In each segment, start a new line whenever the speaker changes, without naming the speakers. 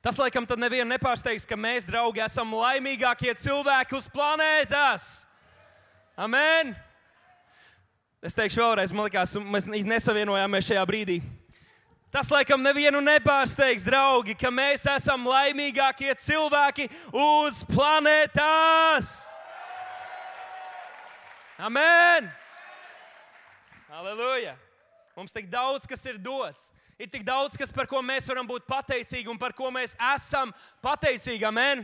Tas, laikam, tad nevienu nepārsteigs, ka mēs, draugi, esam laimīgākie cilvēki uz planētas. Amen! Es teikšu vēlreiz, man liekas, mēs nesavienojāmies šajā brīdī. Tas, laikam, nevienu nepārsteigs, draugi, ka mēs esam laimīgākie cilvēki uz planētas. Amen! Halleluja! Mums tik daudz, kas ir dots. Ir tik daudz, kas, par ko mēs varam būt pateicīgi un par ko mēs esam pateicīgi. Amen!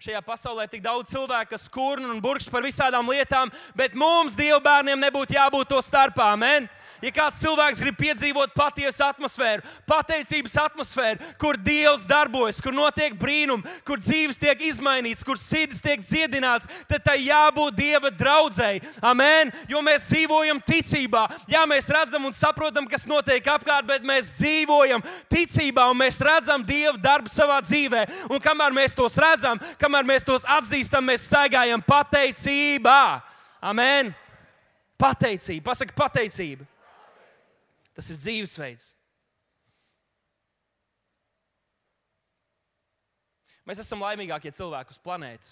Šajā pasaulē ir tik daudz cilvēku, kas kurna un burkšķ par visādām lietām, bet mums, Dieva bērniem, nebūtu jābūt to starpā. Amen! Ja kāds cilvēks grib piedzīvot patiesu atmosfēru, pateicības atmosfēru, kur Dievs darbojas, kur notiek brīnumi, kur dzīves tiek izmainītas, kur sirdis tiek dziedināts, tad tai jābūt Dieva draudzei. Amen! Jo mēs dzīvojam ticībā. Jā, mēs redzam un saprotam, kas notiek apkārt, bet mēs dzīvojam ticībā un mēs redzam Dieva darbu savā dzīvē. Un kamēr mēs tos redzam, kamēr mēs tos atzīstam, mēs staigājam pateicībā. Amen! Pateicība. Pasaka pateicība. Tas ir dzīvesveids. Mēs esam laimīgākie cilvēki uz planētas,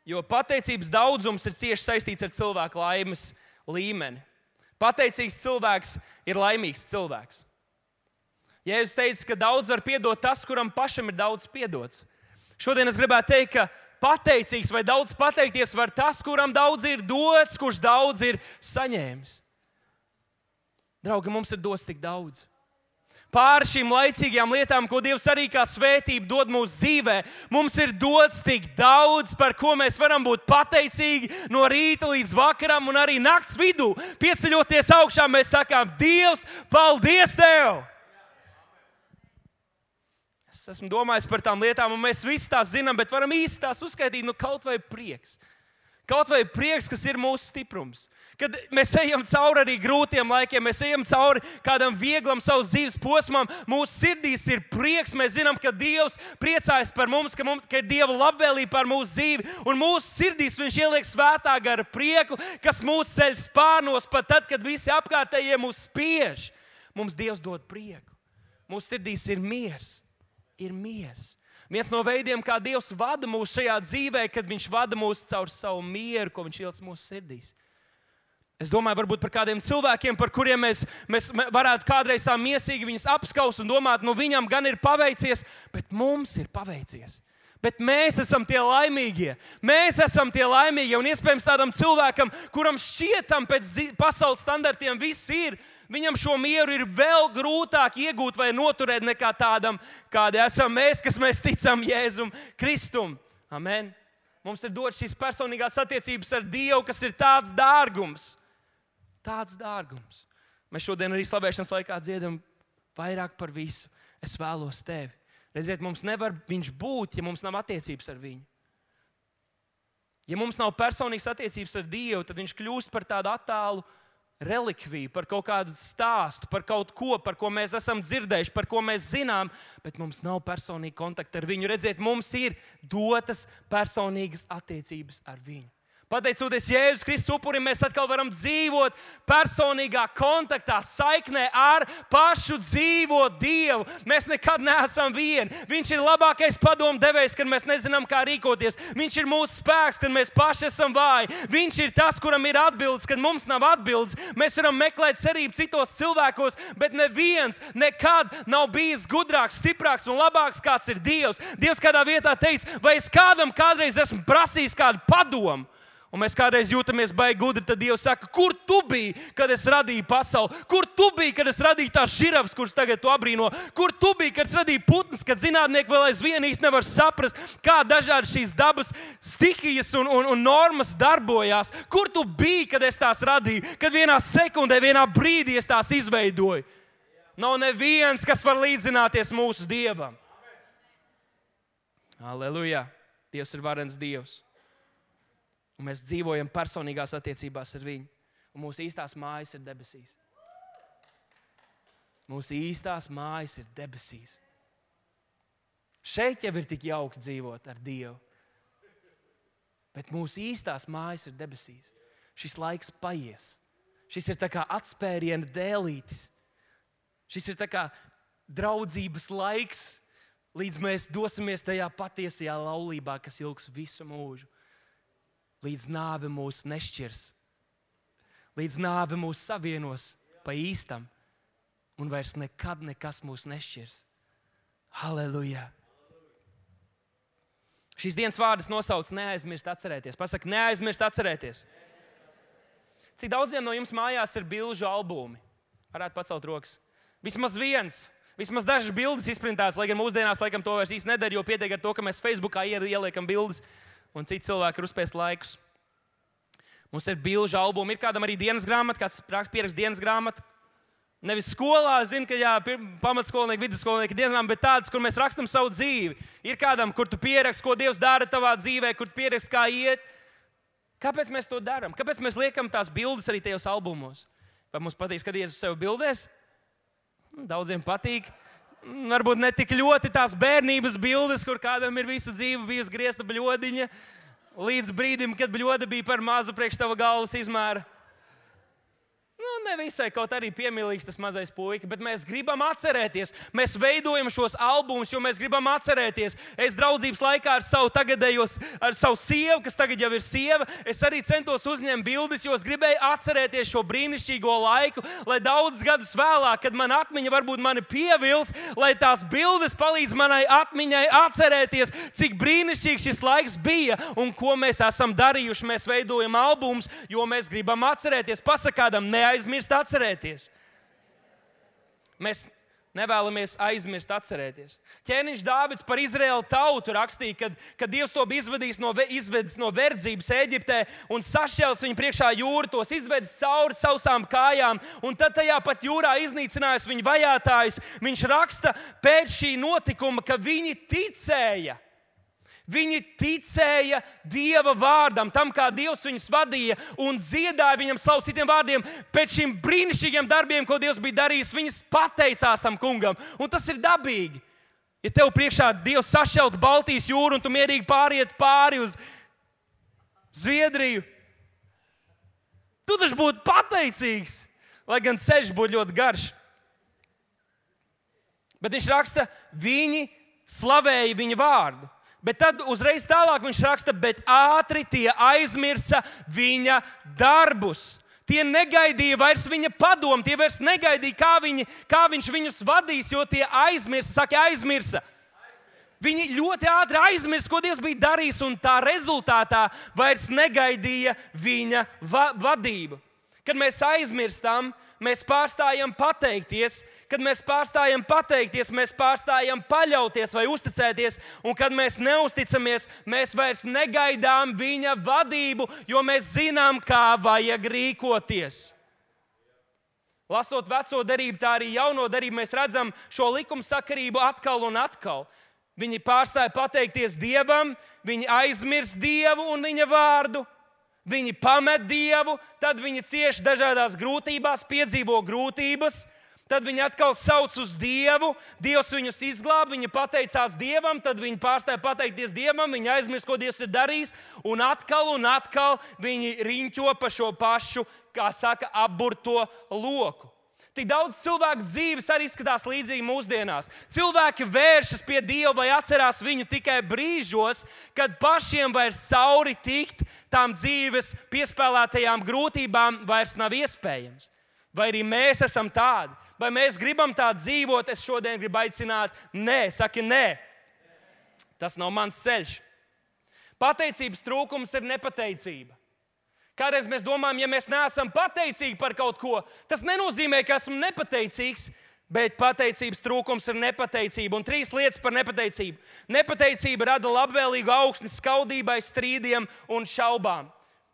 jo pateicības daudzums ir cieši saistīts ar cilvēku laimes līmeni. Pateicīgs cilvēks ir laimīgs cilvēks. Jēzus teica, ka daudz var piedot tas, kuram pašam ir daudz piedots. Šodien es gribētu teikt, ka pateicīgs vai daudz pateikties var tas, kuram daudz ir dots, kurš daudz ir saņēmis. Draugi, mums ir dots tik daudz. Pāri šīm laicīgajām lietām, ko Dievs arī kā svētību dod mūsu dzīvē, mums ir dots tik daudz, par ko mēs varam būt pateicīgi no rīta līdz vakaram un arī nakts vidū. Pieceļoties augšā, mēs sakām, Dievs, paldies Tev! Es esmu domājis par tām lietām, un mēs visi tās zinām, bet varam īsti tās uzskaitīt, kaut vai prieks. Kaut vai prieks, kas ir mūsu stiprums. Kad mēs ejam cauri arī grūtiem laikiem, mēs ejam cauri kādam vieglam savas dzīves posmam, mūsu sirdīs ir prieks, mēs zinām, ka Dievs priecājas par mums, ka ir Dieva labvēlība par mūsu dzīvi, un mūsu sirdīs Viņš ieliek svētā gara prieku, kas mūs ceļ spārnos, pat tad, kad visi apkārtējie mūs spiež. Mums Dievs dod prieku. Mūsu sirdīs ir miers. Ir miers. Viens no veidiem, kā Dievs vada mūs šajā dzīvē, kad Viņš vada mūs caur savu mieru, ko Viņš ielic mūsu sirdīs. Es domāju, varbūt par kādiem cilvēkiem, par kuriem mēs varētu kādreiz tā miesīgi viņus apskaust un domāt, viņam gan ir paveicies, bet mums ir paveicies. Bet mēs esam tie laimīgie. Mēs esam tie laimīgie. Un iespējams tādam cilvēkam, kuram šķietam pēc pasaules standartiem viss ir, viņam šo mieru ir vēl grūtāk iegūt vai noturēt nekā tādam, kādi esam mēs, kas mēs ticam Jēzum Kristum. Amen. Mums ir dots šīs personīgās attiecības ar Dievu, kas ir tāds dārgums. Tāds dārgums. Mēs šodien arī slavēšanas laikā dziedam vairāk par visu. Es vēlos Tevi. Redziet, mums nevar Viņš būt, ja mums nav attiecības ar Viņu. Ja mums nav personīgas attiecības ar Dievu, tad Viņš kļūst par tādu attālu relikviju, par kaut kādu stāstu, par kaut ko, par ko mēs esam dzirdējuši, par ko mēs zinām, bet mums nav personīga kontakta ar Viņu. Redziet, mums ir dotas personīgas attiecības ar Viņu. Pateicoties Jēzus Kristus upurim, mēs atkal varam dzīvot personīgā kontaktā, saiknē ar pašu dzīvo Dievu. Mēs nekad neesam vieni. Viņš ir labākais padomdevējs, kad mēs nezinām, kā rīkoties. Viņš ir mūsu spēks, kad mēs paši esam vāji. Viņš ir tas, kuram ir atbildes, kad mums nav atbildes. Mēs varam meklēt cerību citos cilvēkos, bet neviens nekad nav bijis gudrāks, stiprāks un labāks, kāds ir Dievs. Dievs kādā vietā teica, vai es kādam kādreiz esmu prasījis kādu padomu? Un mēs kādreiz jūtamies baigi gudri, tad Dievs saka, kur tu biji, kad es radīju pasauli? Kur tu biji, kad es radīju tās žirafas, kuras tagad tu abrīno? Kur tu biji, kad es radīju putnus, kad zinātnieki vēl aizvien īsti nevar saprast, kā dažādi šīs dabas stihijas un normas darbojās? Kur tu biji, kad es tās radīju? Kad vienā sekundē, vienā brīdī es tās izveidoju? Nav neviens, kas var līdzināties mūsu Dievam. Halleluja! Dievs ir varens Dievs. Un mēs dzīvojam personīgās attiecībās ar Viņu. Un mūsu īstās mājas ir debesīs. Mūsu īstās mājas ir debesīs. Šeit jau ir tik jauki dzīvot ar Dievu. Bet mūsu īstās mājas ir debesīs. Šis laiks paies. Šis ir tā kā atspēriena dēlītis. Šis ir tā kā draudzības laiks. līdz mēs dosimies tajā patiesajā laulībā, kas ilgs visu mūžu. Līdz nāve mūs nešķirs. Līdz nāve mūs savienos pa īstam. Un vairs nekad nekas mūs nešķirs. Halleluja! Šīs dienas vārdas nosauc neaizmirst atcerēties. Pasaka, neaizmirst atcerēties. Cik daudziem no jums mājās ir bilžu albumi? Varētu pacelt rokas. Vismaz viens. Vismaz dažas bildes izprintētas, lai gan mūsdienās laikam to vairs īsti nedara, jo pietiek ar to, ka mēs Facebookā ieliekam bildes un citi cilvēki ir uzspēst laikus. Mums ir bilžu albumi, ir kādam arī dienas grāmata, kāds pierakst dienas grāmatu. Nevis skolā, zinu, ka jā, pamatskolnieki, vidusskolnieki dienas grāmata, bet tādas, kur mēs rakstam savu dzīvi. Ir kādam, kur tu pieraksti, ko Dievs dara tavā dzīvē, kur tu pieraksti, kā iet. Kāpēc mēs to darām? Kāpēc mēs liekam tās bildes arī tajos albumos? Vai mums patīk skatīties uz sevi bildēs? Daudziem patīk. Varbūt ne tik ļoti tās bērnības bildes, kur kādam ir visu dzīvi bijusi griezta bļodiņa, līdz brīdim, kad bļoda bija par mazu priekš tava galvas izmēra. Ne visai, kaut arī piemīlīgs tas mazais puika, bet mēs gribam atcerēties. Mēs veidojam šos albumus, jo mēs gribam atcerēties. Es draudzības laikā ar savu sievu, kas tagad jau ir sieva, es arī centos uzņemt bildes, jo es gribēju atcerēties šo brīnišķīgo laiku, lai daudzus gadus vēlāk, kad man atmiņa varbūt mani pievils, lai tās bildes palīdz manai atmiņai atcerēties, cik brīnišķīgs šis laiks bija un ko mēs esam darījuši. Mēs veidojam albumus, jo mēs gribam atcerēties. Pasakādam, neaizmirst atcerēties. Mēs nevēlamies aizmirst atcerēties. Ķēniņš Dāvids par Izraēlu tautu rakstīja, kad Dievs to bija izvedis no verdzības Ēģiptē un sašķēlis viņu priekšā jūru, tos izvedis cauri sausām kājām, un tad tajā pat jūrā iznīcinājis viņu vajātājus. Viņš raksta pēc šī notikuma, ka viņi ticēja. Viņi ticēja Dieva vārdam, tam, kā Dievs viņus vadīja un dziedāja viņam slavu. Citiem vārdiem, pēc šiem brīnišķīgiem darbiem, ko Dievs bija darījis, viņas pateicās tam kungam. Un tas ir dabīgi. Ja tev priekšā Dievs sašķelt Baltijas jūru un tu mierīgi pāriet pāri uz Zviedriju, tu taču būtu pateicīgs, lai gan ceļš būtu ļoti garš. Bet viņš raksta, viņi slavēja viņa vārdu. Bet tad uzreiz tālāk viņš raksta, bet ātri tie aizmirsa viņa darbus. Tie negaidīja vairs viņa padomu, tie vairs negaidīja, kā viņš viņus vadīs, jo tie aizmirsa. Viņi ļoti ātri aizmirsa, ko Dievs bija darījis, un tā rezultātā vairs negaidīja viņa vadību. Kad mēs aizmirstam, mēs pārstājam pateikties. Kad mēs pārstājam pateikties, mēs pārstājam paļauties vai uzticēties. Un kad mēs neusticamies, mēs vairs negaidām viņa vadību, jo mēs zinām, kā vajag rīkoties. Lasot veco derību, tā arī jauno derību, mēs redzam šo likumsakarību atkal un atkal. Viņi pārstāja pateikties Dievam, viņi aizmirst Dievu un viņa vārdu. Viņi pamet Dievu, tad viņi cieš dažādās grūtībās, piedzīvo grūtības, tad viņi atkal sauc uz Dievu, Dievs viņus izglāb, viņi pateicās Dievam, tad viņi pārstāja pateikties Dievam, viņi aizmirst, ko Dievs ir darījis, un atkal viņi riņķo pa šo pašu, kā saka, apburto loku. Tik daudz cilvēku dzīves arī izskatās līdzīgi mūsdienās. Cilvēki vēršas pie Dieva vai atcerās viņu tikai brīžos, kad pašiem vairs cauri tikt tām dzīves piespēlētajām grūtībām vairs nav iespējams. Vai arī mēs esam tādi? Vai mēs gribam tā dzīvot? Es šodien gribu aicināt, nē, saki nē. Tas nav mans ceļš. Pateicības trūkums ir nepateicība. Kādreiz mēs domājam, ja mēs neesam pateicīgi par kaut ko, tas nenozīmē, ka esmu nepateicīgs, bet pateicības trūkums ir nepateicība. Un 3 lietas par nepateicību. Nepateicība rada labvēlīgu augsni skaudībai, strīdiem un šaubām.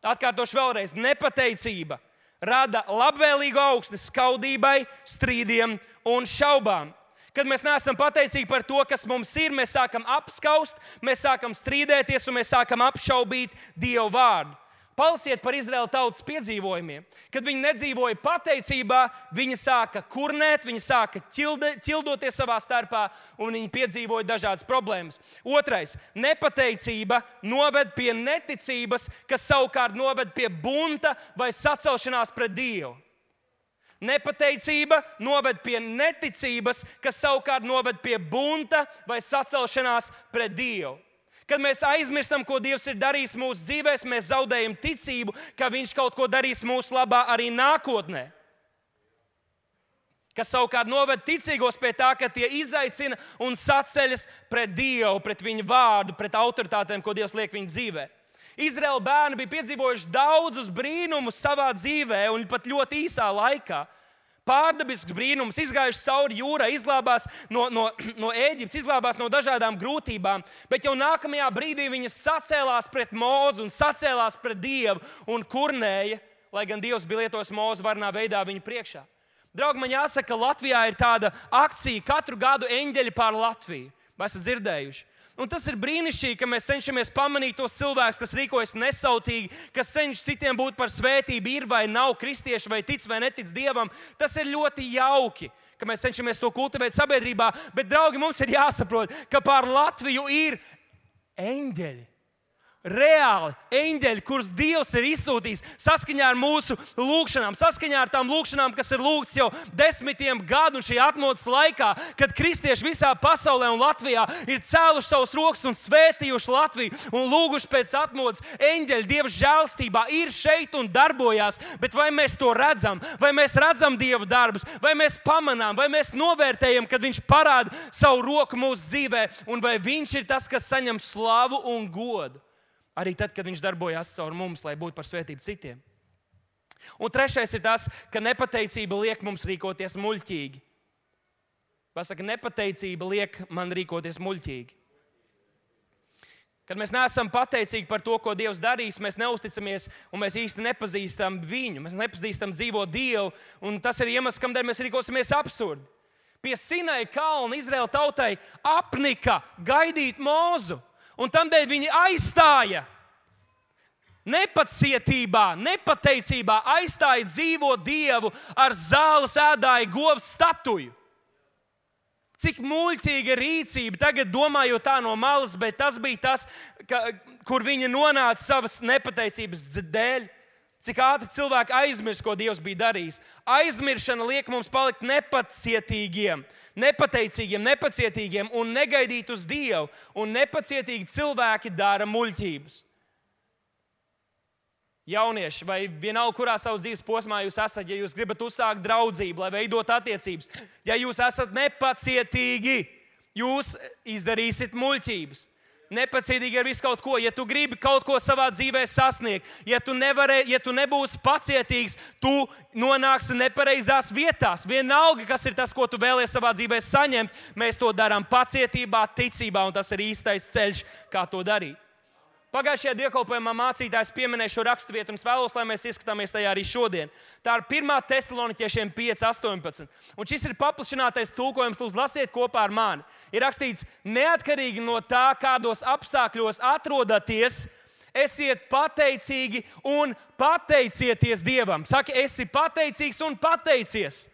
Atkārtošu vēlreiz. Nepateicība rada labvēlīgu augsni skaudībai, strīdiem un šaubām. Kad mēs neesam pateicīgi par to, kas mums ir, mēs sākam apskaust, mēs sākam strīdēties un mēs sākam apšaubīt Dieva vārdu. Palasiet par Izraēla tautas piedzīvojumiem. Kad viņi nedzīvoja pateicībā, viņi sāka kurnēt, viņi sāka ķildoties savā starpā un viņi piedzīvoja dažādas problēmas. Otrais, nepateicība noved pie neticības, kas savukārt noved pie bunta vai sacelšanās pret Dievu. Nepateicība noved pie neticības, kas savukārt noved pie bunta vai sacelšanās pret Dievu. Kad mēs aizmirstam, ko Dievs ir darījis mūsu dzīvēs, mēs zaudējam ticību, ka Viņš kaut ko darīs mūsu labā arī nākotnē. Kas savukārt noved ticīgos pie tā, ka tie izaicina un saceļas pret Dievu, pret Viņa vārdu, pret autoritātēm, ko Dievs liek viņa dzīvē. Izraēla bērni bija piedzīvojuši daudzus brīnumus savā dzīvē un pat ļoti īsā laikā. Pārdabisks brīnums, izgājuši cauri jūrai, izglābās no Ēģiptes, izglābās no dažādām grūtībām, bet jau nākamajā brīdī viņi sacēlās pret Mozu un sacēlās pret Dievu un kurnēja, lai gan Dievs bija lietojis Mozu varnā veidā viņu priekšā. Draugi, man jāsaka, ka Latvijā ir tāda akcija katru gadu eņģeļi pār Latviju. Vai esat dzirdējuši? Un tas ir brīnišķīgi, ka mēs cenšamies pamanīt tos cilvēkus, kas rīkojas nesautīgi, kas cenšas citiem būt par svētību, ir vai nav kristieši, vai tic vai netic Dievam. Tas ir ļoti jauki, ka mēs cenšamies to kultivēt sabiedrībā. Bet, draugi, mums ir jāsaprot, ka pār Latviju ir eņģeļi. Reāli eņģeļi, kurus Dievs ir izsūtījis saskaņā ar mūsu lūgšanām, saskaņā ar tām lūgšanām, kas ir lūgts jau desmitiem gadu un šī atmodas laikā, kad kristieši visā pasaulē un Latvijā ir cēluši savus rokas un svētījuši Latviju un lūguši pēc atmodas. Eņģeļi Dieva žēlstībā ir šeit un darbojās, bet vai mēs to redzam, vai mēs redzam Dieva darbus, vai mēs pamanām, vai mēs novērtējam, kad Viņš parāda savu roku mūsu dzīvē, un vai Viņš ir tas, kas saņem slavu un godu. Arī tad, kad Viņš darbojās caur mums, lai būtu par svētību citiem. Un trešais ir tas, ka nepateicība liek mums rīkoties muļķīgi. Pasaka, nepateicība liek man rīkoties muļķīgi. Kad mēs neesam pateicīgi par to, ko Dievs darīs, mēs neusticamies un mēs īsti nepazīstam Viņu. Mēs nepazīstam dzīvo Dievu, un tas ir iemesls, kādēļ mēs rīkosimies absurdi. Pie Sinai kalna Izraēla tautai apnika gaidīt Mozu. Un tādēļ viņi aizstāja nepacietībā, nepateicībā, aizstāja dzīvo Dievu ar zāles ēdāju govs statuju. Cik muļķīga rīcība, tagad domājot tā no malas, bet tas bija tas, kur viņi nonāca savas nepateicības dēļ. Cik ātri cilvēki aizmirst, ko Dievs bija darījis. Aizmiršana liek mums palikt nepacietīgiem, nepateicīgiem, nepacietīgiem un negaidīt uz Dievu. Un nepacietīgi cilvēki dara muļķības. Jaunieši, vai vienalga, kurā savas dzīves posmā jūs esat, ja jūs gribat uzsākt draudzību, lai veidot attiecības, ja jūs esat nepacietīgi, jūs izdarīsiet muļķības. Nepacietīgi ar visu kaut ko. Ja tu gribi kaut ko savā dzīvē sasniegt, ja tu nebūsi pacietīgs, tu nonāksi nepareizās vietās. Vienalga, kas ir tas, ko tu vēlies savā dzīvē saņemt, mēs to darām pacietībā, ticībā, un tas ir īstais ceļš, kā to darīt. Pagājušajā dievkalpojumā mācītājs pieminēja šo raksturvietu, un es vēlos, lai mēs ieskatāmies tajā arī šodien. Tā ir 1. Tesaloniķiešiem 5:18. Un šis ir paplašinātais tulkojums, lūdzu, lasiet kopā ar mani. Ir rakstīts, neatkarīgi no tā, kādos apstākļos atrodaties, esiet pateicīgi un pateicieties Dievam. Saki, esi pateicīgs un pateicies.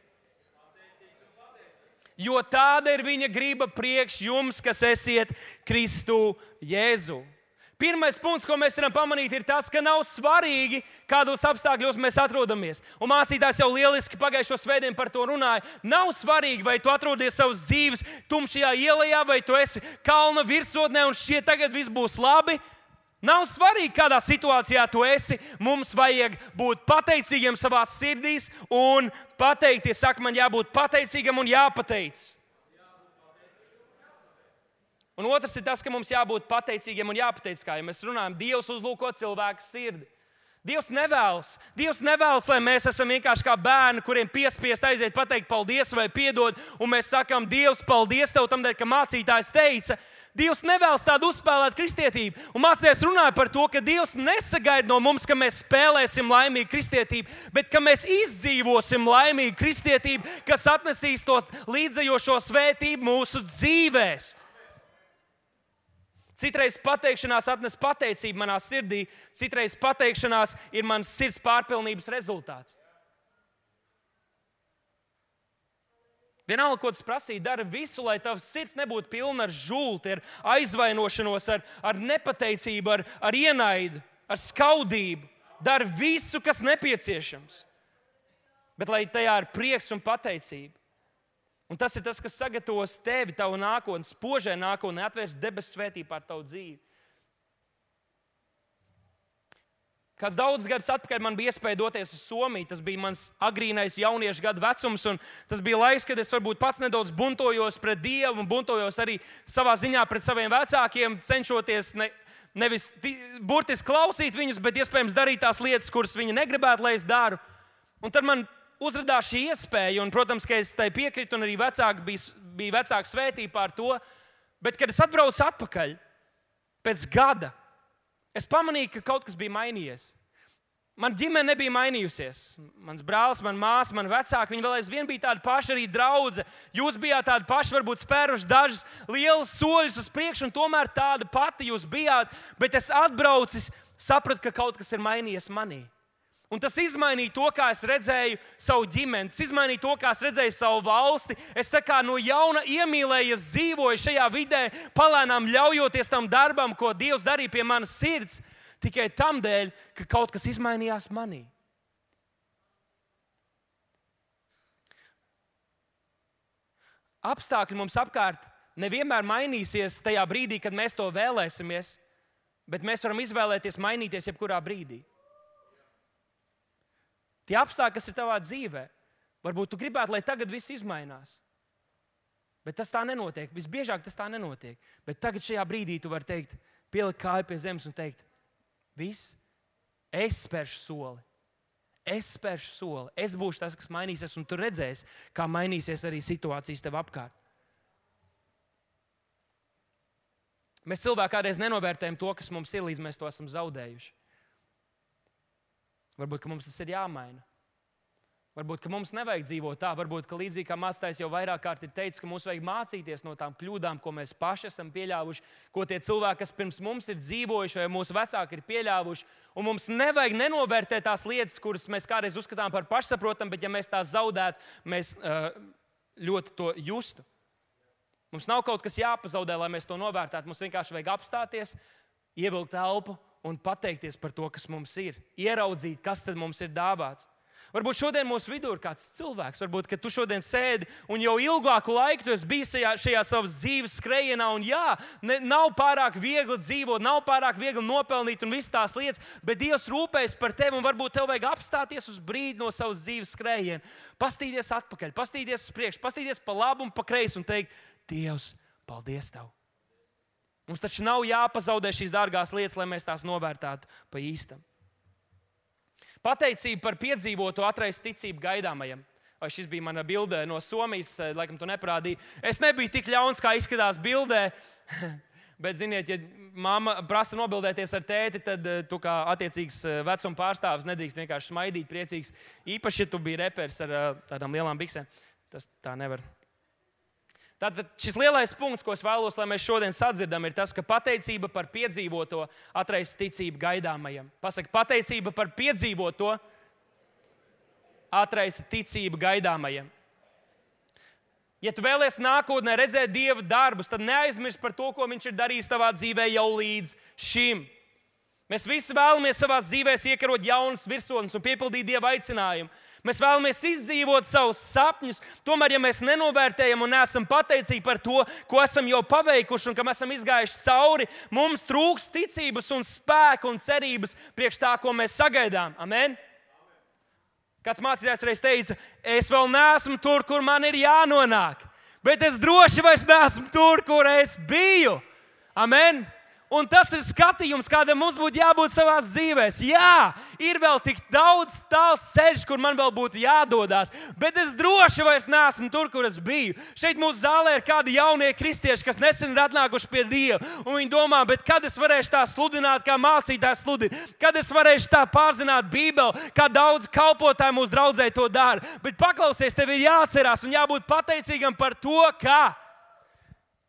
Jo tāda ir viņa griba priekš jums, kas esiet Kristu Jēzu. Pirmais punkts, ko mēs varam pamanīt, ir tas, ka nav svarīgi, kādos apstākļos mēs atrodamies. Un mācītājs jau lieliski pagājušo svētdienu par to runāja. Nav svarīgi, vai tu atrodies savas dzīves tumšajā ielā, vai tu esi kalna virsotnē un šķiet, tagad viss būs labi. Nav svarīgi, kādā situācijā tu esi. Mums vajag būt pateicīgiem savās sirdīs un pateikties. Saka, man jābūt pateicīgam un jāpateicas. Un otrs ir tas, ka mums jābūt pateicīgiem un jāpateicas, kā jau mēs runājam. Dievs uzlūko cilvēku sirdi. Dievs nevēlas, lai mēs esam vienkārši kā bērni, kuriem piespiest aiziet pateikt paldies vai piedod, un mēs sakām, Dievs, paldies tev tam dēļ, ka mācītājs teica. Dievs nevēlas tādu uzspēlēt kristietību. Un mācītājs runāja par to, ka Dievs nesagaida no mums, ka mēs spēlēsim laimīgu kristietību, bet ka mēs izdzīvosim laimīgu kristietību, kas atnesīs to līdzējošo svētību mūsu dzīvēs. Citreiz pateikšanās atnes pateicību manā sirdī, citreiz pateikšanās ir manas sirds pārpilnības rezultāts. Vienalga, ko tas prasīja, dara visu, lai tavs sirds nebūtu pilna ar žulti, ar aizvainošanos, ar nepateicību, ar ienaidu, ar skaudību. Dara visu, kas nepieciešams. bet lai tajā ir prieks un pateicība. Un tas ir tas, kas sagatavos tevi, tavu nākotni, spožai nākotnē, atvērs debesu svētību pār tavu dzīvi. Kāds daudzus gadus atpakaļ man bija iespēja doties uz Somiju. Tas bija mans agrīnais jauniešu gadu vecums, un tas bija laiks, kad es varbūt pats nedaudz buntojos pret Dievu un buntojos arī savā ziņā pret saviem vecākiem, cenšoties nevis burtiski klausīt viņus, bet iespējams darīt tās lietas, kuras viņi negribētu, lai es daru. Un tad man uzradās šī iespēja, un, protams, ka es tai piekritu, un arī bija vecāki svētība pār to. Bet, kad es atbraucu atpakaļ pēc gada, es pamanīju, ka kaut kas bija mainījies. Man ģimene nebija mainījusies. Mans brālis, mana māsa, mani vecāki, viņi vēl aizvien bija tādi paši, arī draudze. Jūs bijāt tādi paši, varbūt spēruši dažus lielus soļus uz priekšu, un tomēr tāda pati jūs bijāt. Bet es atbraucis, sapratu, ka kaut kas ir mainījies manī. Un tas izmainīja to, kā es redzēju savu ģimeni, tas izmainīja to, kā es redzēju savu valsti. Es tā kā no jauna iemīlējies, dzīvoju šajā vidē, palēnām ļaujoties tam darbam, ko Dievs darīja pie manas sirds, tikai tam dēļ, ka kaut kas izmainījās manī. Apstākļi mums apkārt nevienmēr mainīsies tajā brīdī, kad mēs to vēlēsimies, bet mēs varam izvēlēties mainīties jebkurā brīdī. Tie apstākļi, kas ir tavā dzīvē, varbūt tu gribētu, lai tagad viss izmainās. Bet tas tā nenotiek. Visbiežāk tas tā nenotiek. Bet tagad šajā brīdī tu vari teikt, pielikt kāju pie zemes un teikt, viss, es spēršu soli. Es spēršu soli. Es būšu tas, kas mainīsies, un tu redzēsi, kā mainīsies arī situācijas tev apkārt. Mēs cilvēki kādreiz nenovērtējam to, kas mums ir, līdz mēs to esam zaudējuši. Varbūt, ka mums tas ir jāmaina. Varbūt, ka mums nevajag dzīvot tā. Varbūt, ka līdzīgi kā mācītājs jau vairāk kārt ir teicis, ka mums vajag mācīties no tām kļūdām, ko mēs paši esam pieļāvuši, ko tie cilvēki, kas pirms mums ir dzīvojuši, vai mūsu vecāki ir pieļāvuši. Un mums nevajag nenovērtēt tās lietas, kuras mēs kādreiz uzskatām par pašsaprotamu, bet ja mēs tās zaudētu, mēs ļoti to justu. Mums nav kaut kas jāpazaudē, lai mēs to novērtētu. Mums vienkārši vajag apstāties, ievilkt elpu un pateikties par to, kas mums ir. Ieraudzīt, kas tad mums ir dāvāts. Varbūt šodien mūsu vidū ir kāds cilvēks, varbūt, ka tu šodien sēdi un jau ilgāku laiku tu esi bijis šajā savas dzīves skrejienā, un jā, nav pārāk viegli dzīvot, nav pārāk viegli nopelnīt un visas tās lietas, bet Dievs rūpējas par tevi, un varbūt tev vajag apstāties uz brīdi no savas dzīves skrejiena, pastīties atpakaļ, pastīties uz priekšu, pastīties pa labu un pa kreisi un teikt, Dievs, paldies Tev. Mums taču nav jāpazaudē šīs dārgās lietas, lai mēs tās novērtētu pa īstam. Pateicība par piedzīvoto atraisa ticību gaidāmajam. Vai šis bija mana bilde no Somijas, laikam tu neparādīji. Es nebiju tik ļauns, kā izskatās bildē, bet, ziniet, ja mamma prasa nobildēties ar tēti, tad tu kā attiecīgs vecuma pārstāvis nedrīkst vienkārši smaidīt, priecīgs. Īpaši, ja tu biji reperis ar tādām lielām biksēm. Tas tā nevar. Tātad šis lielais punkts, ko es vēlos, lai mēs šodien sadzirdam, ir tas, ka pateicība par piedzīvoto atraisa ticību gaidāmajam. Pasaka, pateicība par piedzīvoto atraisa ticību gaidāmajam. Ja tu vēlies nākotnē redzēt Dieva darbus, tad neaizmirst par to, ko Viņš ir darījis tavā dzīvē jau līdz šim. Mēs visi vēlamies savās dzīvēs iekarot jaunas virsotnes un piepildīt Dieva aicinājumu. Mēs vēlamies izdzīvot savus sapņus. Tomēr, ja mēs nenovērtējam un neesam pateicīgi par to, ko esam jau paveikuši un kam esam izgājuši cauri, mums trūks ticības un spēka un cerības priekš tā, ko mēs sagaidām. Amen? Kāds mācītājs reiz teica, es vēl neesmu tur, kur man ir jānonāk, bet es droši vairs neesmu tur, kur es biju. Amen? Un tas ir skatījums, kādam mums būtu jābūt savās dzīvēs. Jā, ir vēl tik daudz tāls ceļš, kur man vēl būtu jādodas, bet es droši vairs neesmu tur, kur es biju. Šeit mūsu zālē ir kādi jaunie kristieši, kas nesen ir atnākuši pie Dieva. Un viņi domā, bet kad es varēšu tā sludināt, kā mācītājs sludina? Kad es varēšu tā pārzināt Bībeli, kā daudz kalpotāju mūsu draudzē to dara? Bet paklausies, tev ir jāatcerās un jābūt pateicīgam par to, ka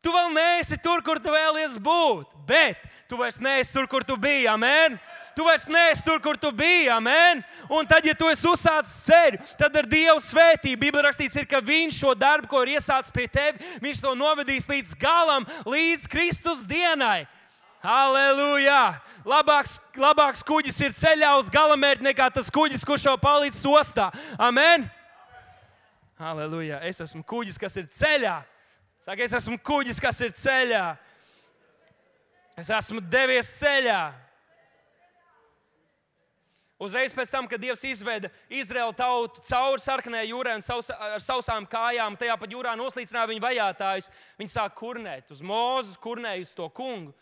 tu vēl neesi tur, kur tu vēlies būt, bet tu vairs neesi tur, kur tu biji, amen? Tu vairs neesi tur, kur tu biji, amen? Un tad, ja tu esi uzsācis ceļu, tad ar Dievu svētību, Bībelē rakstīts ir, ka Viņš šo darbu, ko ir iesācis pie tevi, Viņš to novedīs līdz galam, līdz Kristus dienai. Halleluja! Labāks kuģis ir ceļā uz galamērķi nekā tas kuģis, kurš jau palīdz ostā. Amen! Halleluja! Es esmu kuģis, kas ir ceļā. Saka, es esmu kuģis, kas ir ceļā. Es esmu devies ceļā. Uzreiz pēc tam, kad Dievs izveda Izraēlu tautu cauri Sarkanajai jūrai un ar sausām kājām, tajā pat jūrā noslīcināja viņu vajātājus, viņi sāk kurnēt uz Mūzes, kurnēja uz to kungu.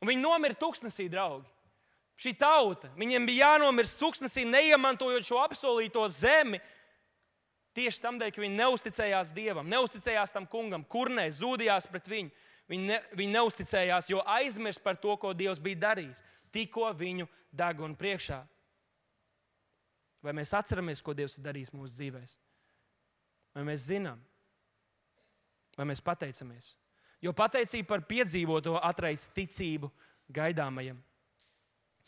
Un viņi nomira tuksnesī, draugi. Šī tauta, viņiem bija jānomirst tuksnesī, neiemantojot šo apsolīto zemi, tieši tamdēļ, ka viņi neusticējās Dievam, neusticējās tam kungam, kurnē, zūdījās pret viņu. Viņi neusticējās, jo aizmirst par to, ko Dievs bija darījis, tikko viņu deguna priekšā. Vai mēs atceramies, ko Dievs ir darījis mūsu dzīvēs? Vai mēs zinām? Vai mēs pateicamies? Jo pateicība par piedzīvoto atraisa ticību gaidāmajam.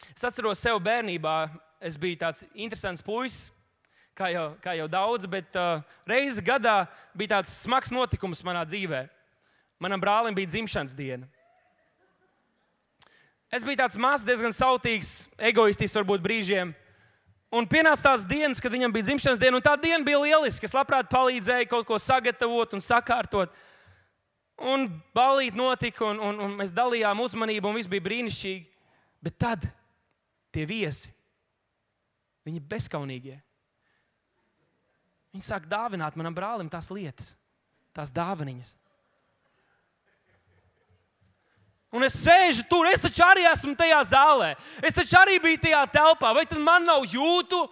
Es atceros sev bērnībā, es biju tāds interesants puisis, kā jau daudz, bet reizi gadā bija tāds smags notikums manā dzīvē. Manam brālim bija dzimšanas diena. Es biju tāds mazs, diezgan sautīgs, egoistisks varbūt brīžiem. Un pienāca tās dienas, kad viņam bija dzimšanas diena, un tā diena bija lieliska. Es labprāt palīdzēju kaut ko sagatavot un sakārtot. Un ballīte notika, un mēs dalījām uzmanību, un viss bija brīnišķīgi. Bet tad tie viesi, viņi bezkaunīgie, viņi sāk dāvināt manam brālim tās lietas, tās dāvaniņas. Un es sēžu tur, es taču arī esmu tajā zālē. Es taču arī biju tajā telpā. Vai tad man nav jūtu?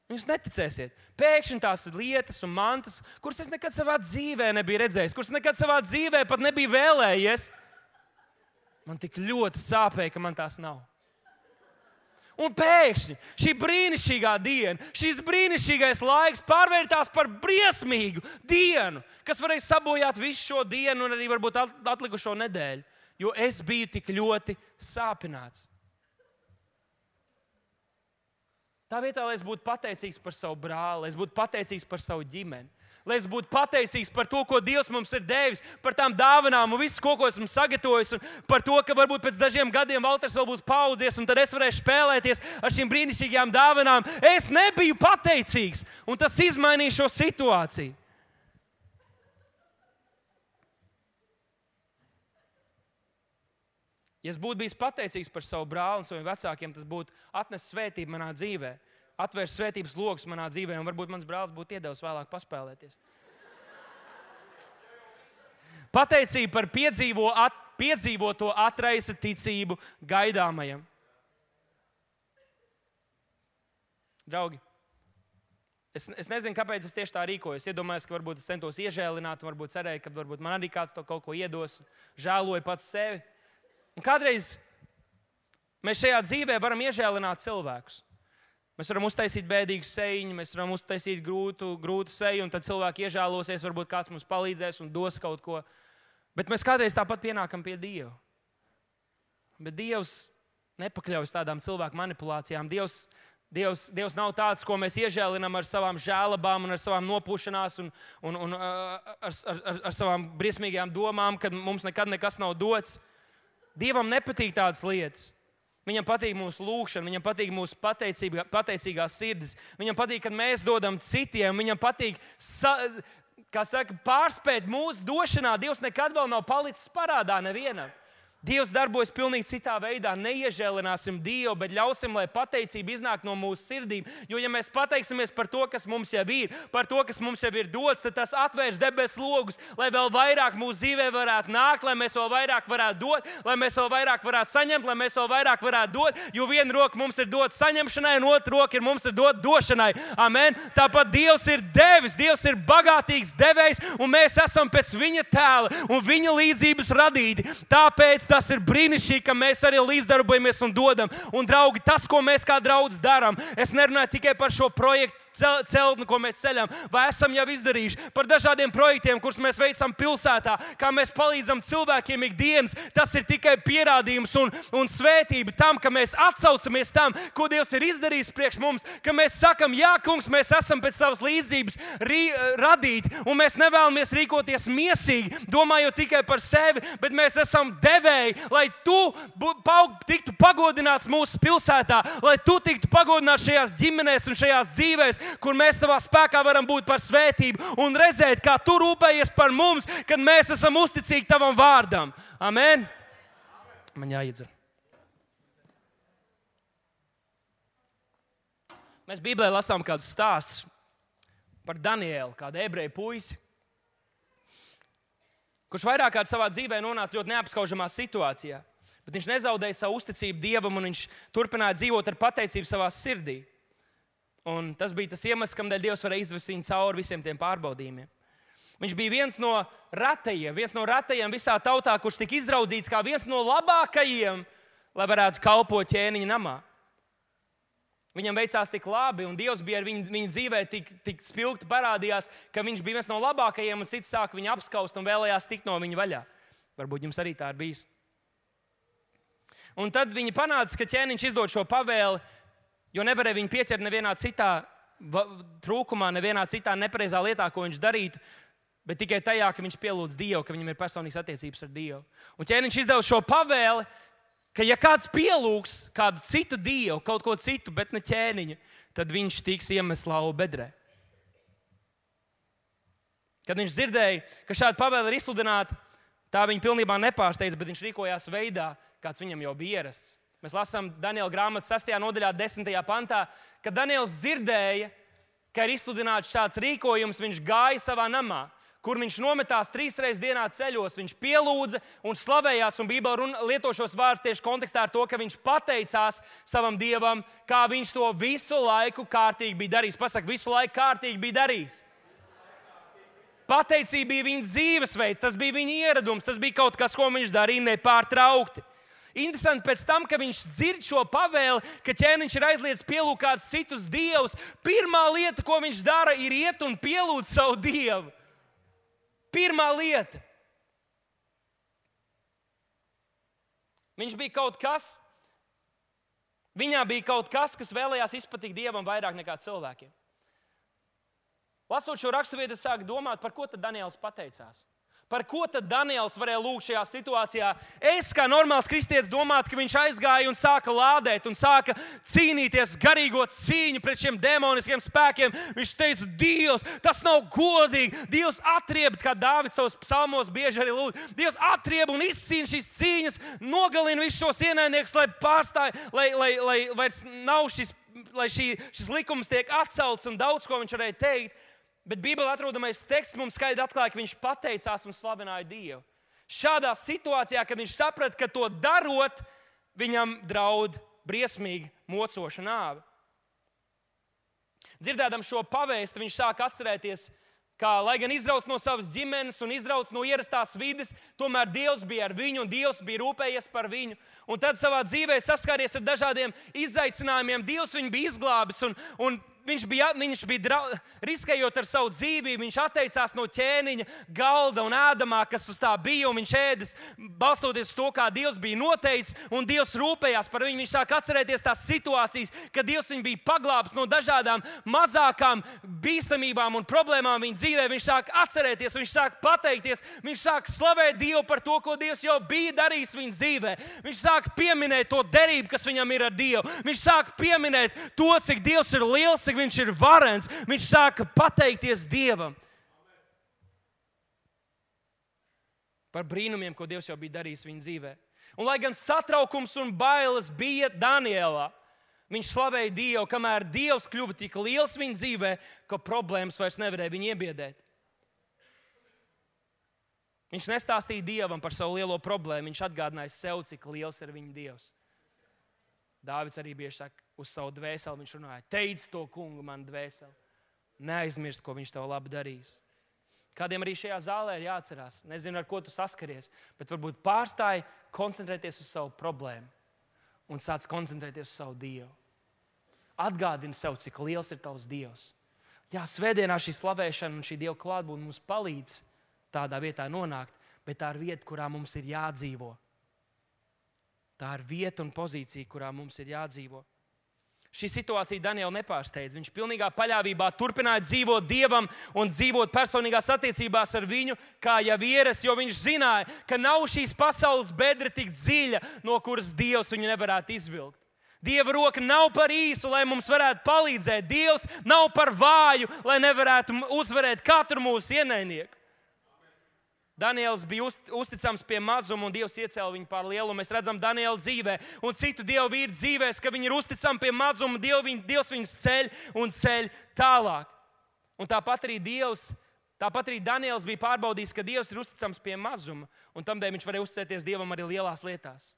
Jūs neticēsiet. Pēkšņi tās lietas un mantas, kuras es nekad savā dzīvē nebiju redzējis, kuras nekad savā dzīvē pat nebiju vēlējies, man tik ļoti sāpēja, ka man tās nav. Un pēkšņi šī brīnišķīgā diena, šis brīnišķīgais laiks pārvērtās par briesmīgu dienu, kas varēja sabojāt visu šo dienu un arī varbūt atlikušo nedēļu, jo es biju tik ļoti sāpināts. Tā vietā, lai es būtu pateicīgs par savu brāli, lai es būtu pateicīgs par savu ģimeni, lai es būtu pateicīgs par to, ko Dievs mums ir devis, par tām dāvanām un visu, ko esmu sagatavojis, un par to, ka varbūt pēc dažiem gadiem Valters vēl būs paaudzies, un tad es varēšu spēlēties ar šīm brīnišķīgām dāvanām. Es nebiju pateicīgs, un tas izmainīja šo situāciju. Ja es būtu bijis pateicīgs par savu brāli un saviem vecākiem, tas būtu atnesis svētību manā dzīvē. Atvērs svētības logus manā dzīvē, un varbūt mans brālis būtu iedevis vēlāk paspēlēties. Pateicība par piedzīvoto atraisa ticību gaidāmajam. Draugi, es nezinu, kāpēc es tieši tā rīkojos. Iedomājos, ka varbūt es centos iežēlināt, un varbūt cerēju, ka varbūt man arī kāds to kaut ko iedos, žēloju pats sevi. Un kādreiz mēs šajā dzīvē varam iežēlināt cilvēkus. Mēs varam uztaisīt bēdīgu sejiņu, mēs varam uztaisīt grūtu seju, un tad cilvēki iežēlosies, varbūt kāds mums palīdzēs un dos kaut ko. Bet mēs kādreiz tāpat pienākam pie Dieva. Bet Dievs nepakļaujas tādām cilvēku manipulācijām. Dievs nav tāds, ko mēs iežēlinām ar savām žēlabām un ar savām nopūšanās un ar savām briesmīgajām domām, kad mums nekad nekas nav dots. Dievam nepatīk tādas lietas. Viņam patīk mūsu lūgšana, viņam patīk mūsu pateicīgās sirdis. Viņam patīk, kad mēs dodam citiem. Viņam patīk, pārspēt mūsu došanā. Dievs nekad vēl nav palicis parādā nevienam. Dievs darbojas pilnīgi citā veidā. Neiežēlināsim Dievu, bet ļausim, lai pateicība iznāk no mūsu sirdīm. Jo, ja mēs pateiksimies par to, kas mums jau ir, par to, kas mums jau ir dots, tad tas atvērs debesu logus, lai vēl vairāk mūsu dzīvē varētu nākt, lai mēs vēl vairāk varētu dot, lai mēs vēl vairāk varētu saņemt, lai mēs vēl vairāk varētu dot. Jo viena roka mums ir dot saņemšanai, un otra roka mums ir dot došanai. Amen. Tāpat Dievs ir devis, Dievs ir bagātīgs devējs, un mēs esam pēc viņa tēla un viņa līdzības radīti. Tāpēc tas ir brīnišķīgi, ka mēs arī līdzdarbojamies un dodam. Un, draugi, tas, ko mēs kā draudz darām, es nerunāju tikai par šo projektu celtni, ko mēs ceļam, vai esam jau izdarījuši, par dažādiem projektiem, kurus mēs veicam pilsētā, kā mēs palīdzam cilvēkiem ikdienas. Tas ir tikai pierādījums un svētība tam, ka mēs atsaucamies tam, ko Dievs ir izdarījis priekš mums, ka mēs sakam, jā, kungs, mēs esam pēc tavas līdzības radīti, un mēs nevēlamies rīkoties miesīgi, domājot tikai par sevi, bet mēs esam devēji, lai tu tiktu pagodināts mūsu pilsētā, lai tu tiktu pagodināts šajās ģimenēs un šajās dzīvēs, kur mēs tavā spēkā varam būt par svētību un redzēt, kā tu rūpējies par mums, kad mēs esam uzticīgi tavam vārdam. Amen? Man jāiedzer. Mēs Bībelē lasām kādus stāstus par Danielu, kādu ebreju puisi, kurš vairāk kārt savā dzīvē nonāca ļoti neapskaužamā situācijā, bet viņš nezaudēja savu uzticību Dievam un viņš turpināja dzīvot ar pateicību savā sirdī. Un tas bija tas iemesls, kādēļ Dievs varēja izvest viņu cauri visiem tiem pārbaudījumiem. Viņš bija viens no ratajiem visā tautā, kurš tika izraudzīts kā viens no labākajiem, lai varētu kalpot ķēniņa namā. Viņam veicās tik labi, un Dievs bija ar viņa dzīvē tik spilgti parādījās, ka viņš bija viens no labākajiem, un cits sāka viņu apskaust un vēlējās tikt no viņa vaļā. Varbūt jums arī tā ir bijis. Un tad viņi panāca, ka ķēniņš izdod šo pavēli, jo nevarēja viņu pieķert nevienā citā trūkumā, nevienā citā nepareizā lietā, ko viņš darītu, bet tikai tajā, ka viņš pielūdz Dievu, ka viņam ir personīgas attiecības ar Dievu. Un ķēniņš izdeva šo pavēli, ka ja kāds pielūgs kādu citu Dievu, kaut ko citu, bet ne ķēniņu, tad viņš tiks iemests lauva bedrē. Kad viņš dzirdēja, ka šāda pavēle ir izsludināta, tā viņa pilnībā nepārsteidza, bet viņš rīkojās veidā, kāds viņam jau bija ierasts. Mēs lasām Daniela grāmatas 6. nodaļā, 10. pantā, kad Daniels dzirdēja, ka ir izsludināts šāds rīkojums, viņš gāja savā namā, kur viņš nometās 3 reizes dienā ceļos. Viņš pielūdza un slavējās, un Bībele lieto šos vārdus tieši kontekstā ar to, ka viņš pateicās savam Dievam, kā viņš to visu laiku kārtīgi bija darījis. Pasaka, visu laiku kārtīgi bija darījis. Pateicība bija viņa dzīvesveids, tas bija viņa ieradums, tas bija kaut kas, ko viņš darīja nepārtraukti. Interesanti, pēc tam, kad viņš dzird šo pavēli, ka ķēniņš ir aizliedzis pielūgt kādus citus dievus, pirmā lieta, ko viņš dara, ir iet un pielūgt savu Dievu. Pirmā lieta. Viņā bija kaut kas, kas vēlējās izpatikt Dievam vairāk nekā cilvēkiem. Lasot šo raksturvietu, es sāku domāt, par ko tad Daniels pateicās. Par ko tad Daniels varēja lūgt šajā situācijā? Es, kā normāls kristietis, domātu, ka viņš aizgāja un sāka lādēt un sāka cīnīties garīgo cīņu pret šiem demoniskiem spēkiem. Viņš teica, Dievs, tas nav godīgi. Dievs atrieb, kā Dāvids savos psalmos bieži arī lūdz. Dievs atrieb un izcīna šīs cīņas, nogalina visus šos ienaidniekus, lai pārstāj, lai vairs nav lai šis likums tiek atcelts un daudz ko viņš varēja teikt. Bet Bībelē atrodamais teksts mums skaidri atklāja, ka viņš pateicās un slavināja Dievu. Šādā situācijā, kad viņš saprata, ka to darot, viņam draud briesmīgi mocoša nāve. Dzirdēdam šo pavēsti, viņš sāk atcerēties, kā, lai gan izrauc no savas ģimenes un izrauc no ierastās vides, tomēr Dievs bija ar viņu un Dievs bija rūpējies par viņu. Un tad savā dzīvē saskāries ar dažādiem izaicinājumiem. Dievs viņu bija izglābis un viņš bija riskējot ar savu dzīvību, viņš atteicās no ķēniņa galda un ēdamā, kas uz tā bija, un viņš ēdis, balstoties uz to, kā Dievs bija noteicis, un Dievs rūpējās par viņu. Viņš sāk atcerēties tās situācijas, kad Dievs viņu bija paglābis no dažādām mazākām bīstamībām un problēmām viņa dzīvē. Viņš sāk atcerēties, viņš sāk pateikties, viņš sāk slavēt Dievu par to, ko Dievs jau bija darījis viņa dzīvē. Viņš sāk pieminēt to derību, kas viņam ir ar Dievu. Viņš sāk pieminēt to, cik Dievs ir liels, cik viņš ir varens. Viņš sāka pateikties Dievam par brīnumiem, ko Dievs jau bija darījis viņa dzīvē. Un lai gan satraukums un bailes bija Danielā, viņš slavēja Dievu, kamēr Dievs kļuva tik liels viņa dzīvē, ka problēmas vairs nevarēja viņu iebiedēt. Viņš nestāstīja Dievam par savu lielo problēmu, viņš atgādināja sev, cik liels ir viņa Dievs. Dāvids arī bieži saka, uz savu dvēseli viņš runāja, teic to kungu man dvēseli, neaizmirst, ko viņš tev labi darīs. Kādiem arī šajā zālē ir jāatcerās. Nezinu, ar ko tu saskaries, bet varbūt pārstāji koncentrēties uz savu problēmu un sāc koncentrēties uz savu Dievu. Atgādini sev, cik liels ir tavs Dievs. Jā, svētdienā šī slavēšana un šī Dieva klātbūtne mums palīdz tādā vietā nonākt, bet tā ir vieta, kurā mums ir jādzīvo. Tā ir vieta un pozīcija, kurā mums ir jādzīvo. Šī situācija Danielu nepārsteidz. Viņš pilnīgā paļāvībā turpināja dzīvot Dievam un dzīvot personīgās attiecībās ar viņu, kā jau ierasts, jo viņš zināja, ka nav šīs pasaules bedra tik dziļa, no kuras Dievs viņu nevarētu izvilkt. Dieva roka nav par īsu, lai mums varētu palīdzēt. Dievs nav par vāju, lai nevarētu uzvarēt katru mūsu ienaidnieku. Daniels bija uzticams pie mazuma, un Dievs iecēla viņu pār lielumu. Mēs redzam Daniela dzīvē un citu dievu vīru dzīvēs, ka viņi ir uzticami pie mazuma, Dievs viņus ceļ un ceļ tālāk. Un tāpat arī Daniels bija pārbaudījis, ka Dievs ir uzticams pie mazuma, un tamdēļ viņš varēja uzticēties Dievam arī lielās lietās.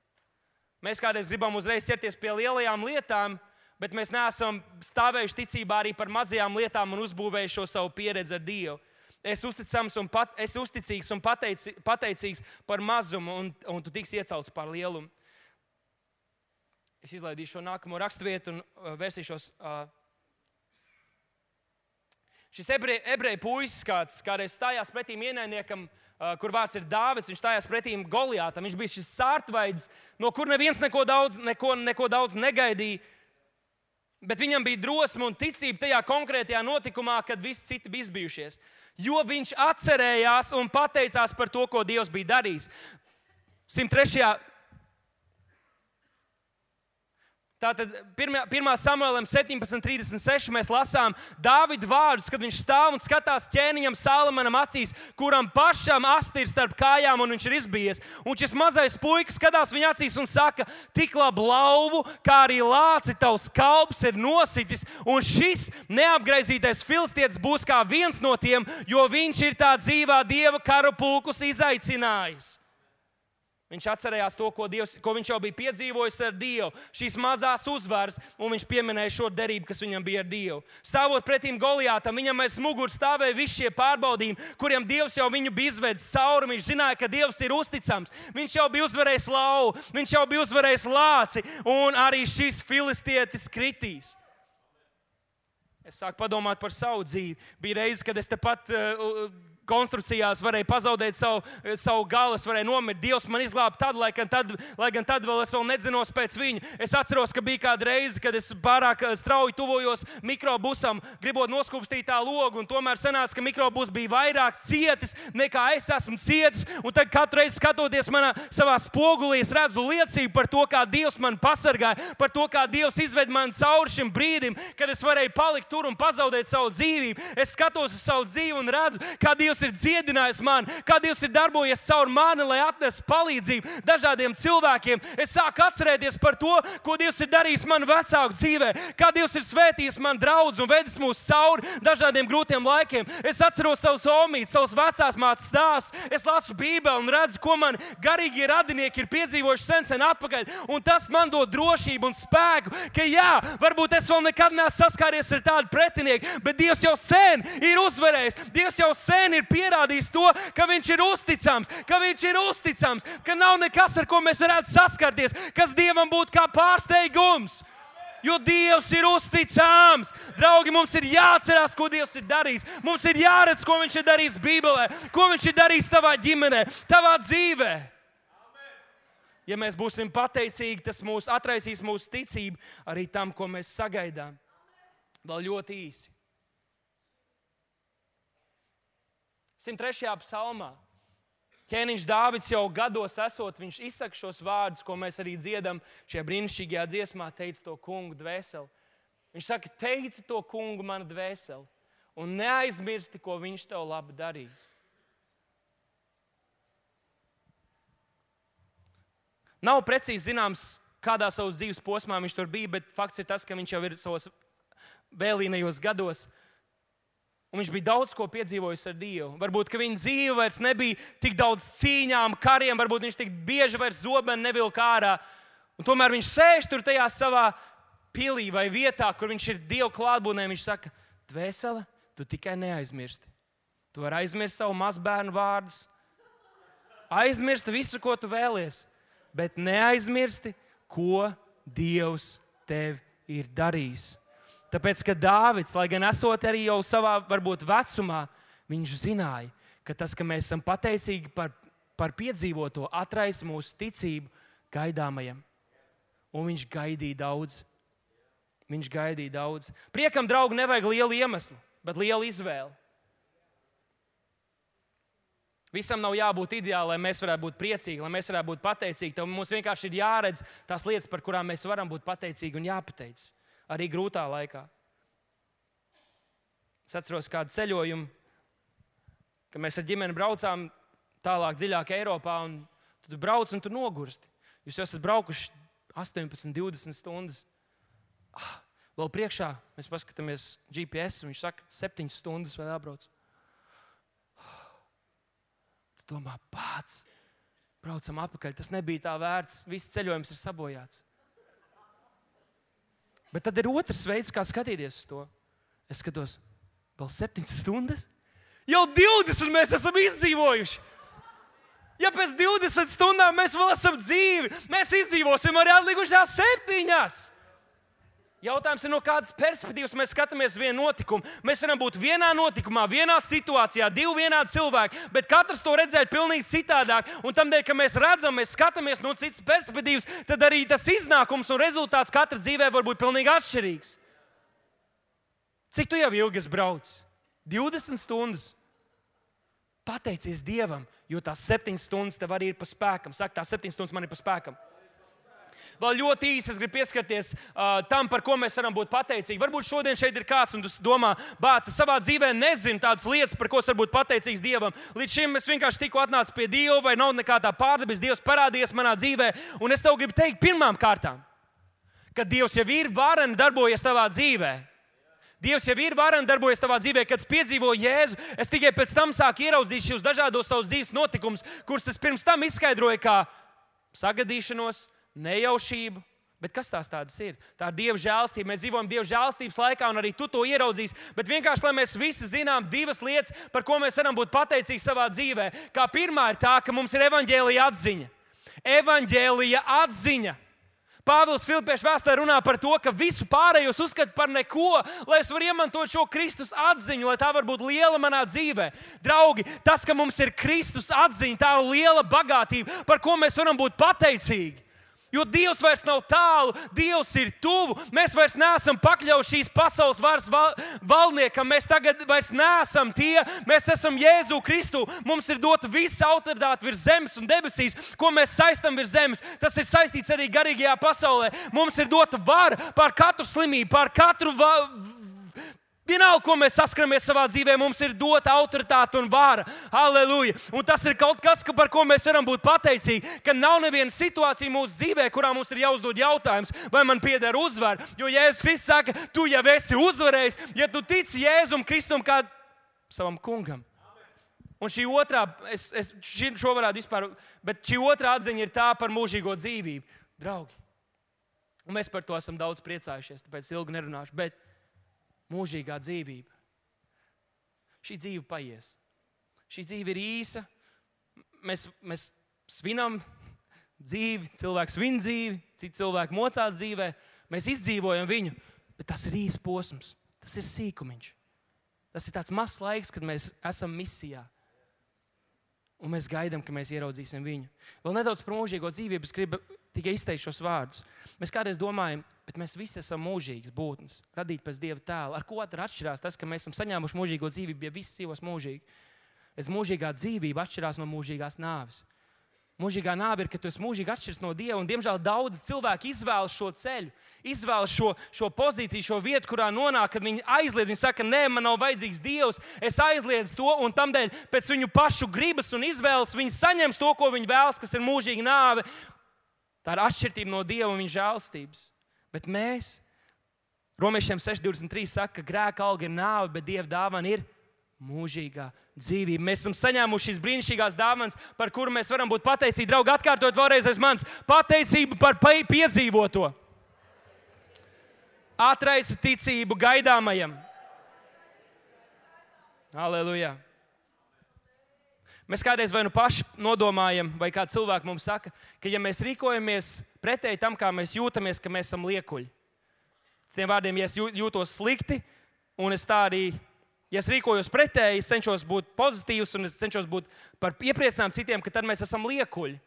Mēs kādreiz gribam uzreiz ķerties pie lielajām lietām, bet mēs neesam stāvējuši ticībā arī par mazajām lietām un uzbūvējuši šo savu pieredzi ar Dievu. Es uzticīgs un pateicīgs par mazumu, un tu tiksi iecelts par lielumu. Es izlaidīšu šo nākamo raksturvietu un vērsīšos. Šis ebreju puisis kādreiz stājās pretīm ienaidniekam, kur vārds ir Dāvids, viņš stājās pretīm Goliātam. Viņš bija šis sārtvaids, no kur neviens neko daudz negaidīja. Bet viņam bija drosme un ticība tajā konkrētajā notikumā, kad visi citi bija izbijušies. Jo viņš atcerējās un pateicās par to, ko Dievs bija darījis. 103. Tātad 1. Samuēlam 17:36 mēs lasām Dāvida vārdus, kad viņš stāv un skatās ķēniņam Salamonam acīs, kuram pašam asti ir starp kājām un viņš ir izbijies. Un šis mazais puika skatās viņa acīs un saka, tik labu lauvu, kā arī lāci tavs kalps ir nositis, un šis neapgraizītais filistietis būs kā viens no tiem, jo viņš ir tā dzīvā Dieva karu pulkus izaicinājis. Viņš atcerējās to, ko viņš jau bija piedzīvojis ar Dievu, šīs mazās uzvaras, un viņš pieminēja šo derību, kas viņam bija ar Dievu. Stāvot pretīm Goliātam, viņam aiz muguras stāvēja visi šie pārbaudījumi, kuriem Dievs jau viņu bija izvedis cauri. Viņš zināja, ka Dievs ir uzticams. Viņš jau bija uzvarējis lauvu, viņš jau bija uzvarējis lāci, un arī šis filistietis kritīs. Es sāku padomāt par savu dzīvi. Bija reize, kad es tepat konstrukcijās varēju pazaudēt savu galu, es varēju nomirt. Dievs man izglāba tad, lai gan tad vēl es nedzinos pēc viņu. Es atceros, ka bija kāda reize, kad es pārāk strauji tuvojos mikrobusam, gribot noskūpstīt tā logu, un tomēr sanāca, ka mikrobus bija vairāk cietis, nekā es esmu cietis. Un tad katru reizi skatoties savā spogulī, es redzu liecību par to, kā Dievs man pasargāja, par to, kā Dievs izved mani cauri šim brīdim, kad es varēju palikt tur un pazaudēt savu dzīvību. Es skatos uz savu dzīvi un redzu, kā Dievs ir dziedinājis mani, kā Dievs ir darbojies caur mani, lai atnestu palīdzību dažādiem cilvēkiem. Es sāku atcerēties par to, ko Dievs ir darījis manu vecāku dzīvē, kā Dievs ir svētījis manu draudzi un vedis mūs cauri dažādiem grūtiem laikiem. Es atceros savus omītes, savus vecās mātes stāstus, es lasu Bībeli un redzu, ko man garīgie radinieki ir piedzīvojuši sen atpakaļ, un tas man dod drošību un spēku, ka jā, varbūt es vēl nekad neesmu saskāries ar tādu pretinieku, bet Dievs jau sen ir uzvarējis, Dievs jau sen ir pierādījis to, ka viņš ir uzticams, ka nav nekas, ar ko mēs varētu saskarties, kas Dievam būtu kā pārsteigums. Jo Dievs ir uzticams. Draugi, mums ir jāatcerās, ko Dievs ir darījis. Mums ir jāredz, ko viņš ir darījis Bībelē, ko viņš ir darījis tavā ģimenē, tavā dzīvē. Ja mēs būsim pateicīgi, tas atraisīs mūsu ticību arī tam, ko mēs sagaidām. Vēl ļoti īsi. 103. psalmā. Ķēniņš Dāvids jau gados esot, viņš izsaka šos vārdus, ko mēs arī dziedam šajā brīnišķīgajā dziesmā, teica to kungu dvēseli. Viņš saka, teici to kungu mana dvēseli un neaizmirsti, ko viņš tev labi darīs. Nav precīzi zināms, kādā savas dzīves posmā viņš tur bija, bet fakts ir tas, ka viņš jau ir savos vēlīnajos gados. Un viņš bija daudz ko piedzīvojis ar Dievu. Varbūt, ka viņa dzīve vairs nebija tik daudz cīņām, kariem, varbūt viņš tik bieži vairs zobeni nevilka ārā. Un tomēr viņš sēž tur tajā savā pilī vai vietā, kur viņš ir Dieva klātbūtnē. Viņš saka, dvēsele, tu tikai neaizmirsti. Tu vari aizmirst savu mazbērnu vārdus, aizmirsti visu, ko tu vēlies, bet neaizmirsti, ko Dievs tev ir darījis. Tāpēc, ka Dāvids, lai gan esot arī jau savā, varbūt, vecumā, viņš zināja, ka tas, ka mēs esam pateicīgi par piedzīvoto, atraisa mūsu ticību gaidāmajam. Un viņš gaidīja daudz. Viņš gaidīja daudz. Priekam, draugi, nevajag lielu iemeslu, bet lielu izvēli. Visam nav jābūt ideāli, lai mēs varētu būt priecīgi, lai mēs varētu būt pateicīgi. Tad mums vienkārši ir jāredz tās lietas, par kurām mēs varam būt pateicīgi un jāpateic. Arī grūtā laikā. Es atceros kādu ceļojumu, ka mēs ar ģimeni braucām tālāk, dziļāk Eiropā, un tu brauc un tu nogursti. Jūs esat braukuši 18, 20 stundas. Vēl priekšā mēs paskatāmies GPS, un viņš saka, 7 stundas vēl jābrauc. Tu domā, pats, braucam atpakaļ, tas nebija tā vērts, viss ceļojums ir sabojāts. Bet tad ir otrs veids, kā skatīties uz to. Es skatos, vēl 7 stundas? Jau 20 mēs esam izdzīvojuši. Ja pēc 20 stundām mēs vēl esam dzīvi, mēs izdzīvosim arī atlikušās 7. Jautājums ir, no kādas perspektīvas mēs skatāmies vienu notikumu. Mēs varam būt vienā notikumā, vienā situācijā, 2 vienādi cilvēki, bet katrs to redzēt pilnīgi citādāk. Un tamdēļ, ka mēs redzam, mēs skatāmies no citas perspektīvas, tad arī tas iznākums un rezultāts katra dzīvē var būt pilnīgi atšķirīgs. Cik tu jau ilgi esi braucis? 20 stundas. Pateicies Dievam, jo tās 7 stundas tev arī ir pa spēkam. Saka, tās 7 stundas man ir pa spēkam. Vēl ļoti īsi es gribu pieskarties tam, par ko mēs varam būt pateicīgi. Varbūt šodien šeit ir kāds, un tu domā, bāc, es savā dzīvē nezinu tādas lietas, par ko es varu būt pateicīgs Dievam. Līdz šim es vienkārši tikko atnācu pie Dieva, vai nav nekā tā pārdabis, Dievs parādījies manā dzīvē. Un es tev gribu teikt pirmām kārtām, ka Dievs jau ir vareni darbojies tavā dzīvē. Dievs jau ir vareni darbojies tavā dzīvē, kad es piedzīvoju Jēzu. Es tikai pēc tam sāku ieraudzīt šos dažādos savus dzīves notikumus, kurus es pirms tam izskaidroju kā sagadīšanos, nejaušību. Bet kas tās tādas ir? Tā ir Dieva žēlstība. Mēs dzīvojam Dieva žēlstības laikā, un arī tu to ieraudzīsi. Bet vienkārši, lai mēs visi zinām 2 lietas, par ko mēs varam būt pateicīgi savā dzīvē. Kā pirmā ir tā, ka mums ir evaņģēlija atziņa. Evaņģēlija atziņa. Pāvils Filipiešu vēstulē runā par to, ka visu pārējos uzskata par neko, lai es varu iemantot šo Kristus atziņu, lai tā var būt liela manā dzīvē. Draugi, tas, ka mums ir Kristus atziņa, tā ir liela bagātība, par ko mēs varam būt pateicīgi. Jo Dievs vairs nav tālu, Dievs ir tuvu. Mēs vairs neesam pakļauti šīs pasaules varas valdniekam. Mēs tagad vairs neesam tie. Mēs esam Jēzu Kristu. Mums ir dota visa autoritāte virs zemes un debesīs, ko mēs saistam virs zemes. Tas ir saistīts arī garīgajā pasaulē. Mums ir dota vara pār katru slimību, pār katru vienalga, ko mēs saskaramies savā dzīvē, mums ir dota autoritāte un vara. Halleluja! Un tas ir kaut kas, par ko mēs varam būt pateicīgi, ka nav neviena situācija mūsu dzīvē, kurā mums ir jāuzdod jautājums, vai man pieder uzvara. Jo Jēzus Kristus saka, tu jau esi uzvarējis, ja tu tici Jēzum Kristum kā savam kungam. Un šī otrā, šo varētu vispār, bet šī otrā atziņa ir tā par mūžīgo dzīvību. Draugi, un mēs par to esam daudz priecājušies, tāpēc ilgi nerunāšu, bet mūžīgā dzīvība. Šī dzīve paies. Šī dzīve ir īsa. Mēs svinam dzīvi, cilvēks svin dzīvi, citi cilvēki mocās dzīvē. Mēs izdzīvojam viņu, bet tas ir īsts posms. Tas ir sīkumiņš. Tas ir tāds mazs laiks, kad mēs esam misijā. Un mēs gaidām, ka mēs ieraudzīsim viņu. Vēl nedaudz par mūžīgo dzīvību es gribu tikai izteikt šos vārdus. Mēs kādreiz domājam, bet mēs visi esam mūžīgas būtnes, radīti pēc Dieva tēla. Ar ko atšķirās tas, ka mēs esam saņēmuši mūžīgo dzīvību, ja visi dzīvos mūžīgi? Mūžīgā dzīvība atšķirās no mūžīgās nāves. Mūžīgā nāve ir, ka tu esi mūžīgi atšķirs no Dieva, un diemžēl daudz cilvēku izvēlas šo ceļu, izvēlas šo pozīciju, šo vietu, kurā nonāk, kad viņi aizliedz. Viņi saka, nē, man nav vajadzīgs Dievs, es aizliedzu to, un tamdēļ pēc viņu pašu gribas un izvēles viņi saņems to, ko viņi vēlas, kas ir mūžīga nāve. Tā ir atšķirība no Dieva un viņa žēlstības. Bet mēs, Romiešiem 6:23 saka, ka grēka alga ir nāve, bet Dieva dāvana ir mūžīgā dzīvība. Mēs esam saņēmuši šīs brīnišķīgās dāvanas, par kuru mēs varam būt pateicīgi. Draugi, atkārtojot vēlreiz aiz manis. Pateicība par piedzīvoto. Atraisa ticību gaidāmajam. Halleluja. Mēs kādreiz vai nu paši nodomājam, vai kāds cilvēks mums saka, ka ja mēs rīkojamies pretēji tam, kā mēs jūtamies, ka mēs esam liekuļi. Citiem vārdiem, ja es jūtos slikti, un es tā arī, ja es rīkojos pretēji, es cenšos būt pozitīvs un es cenšos būt par iepriecinājumu citiem, ka tad mēs esam liekuļi,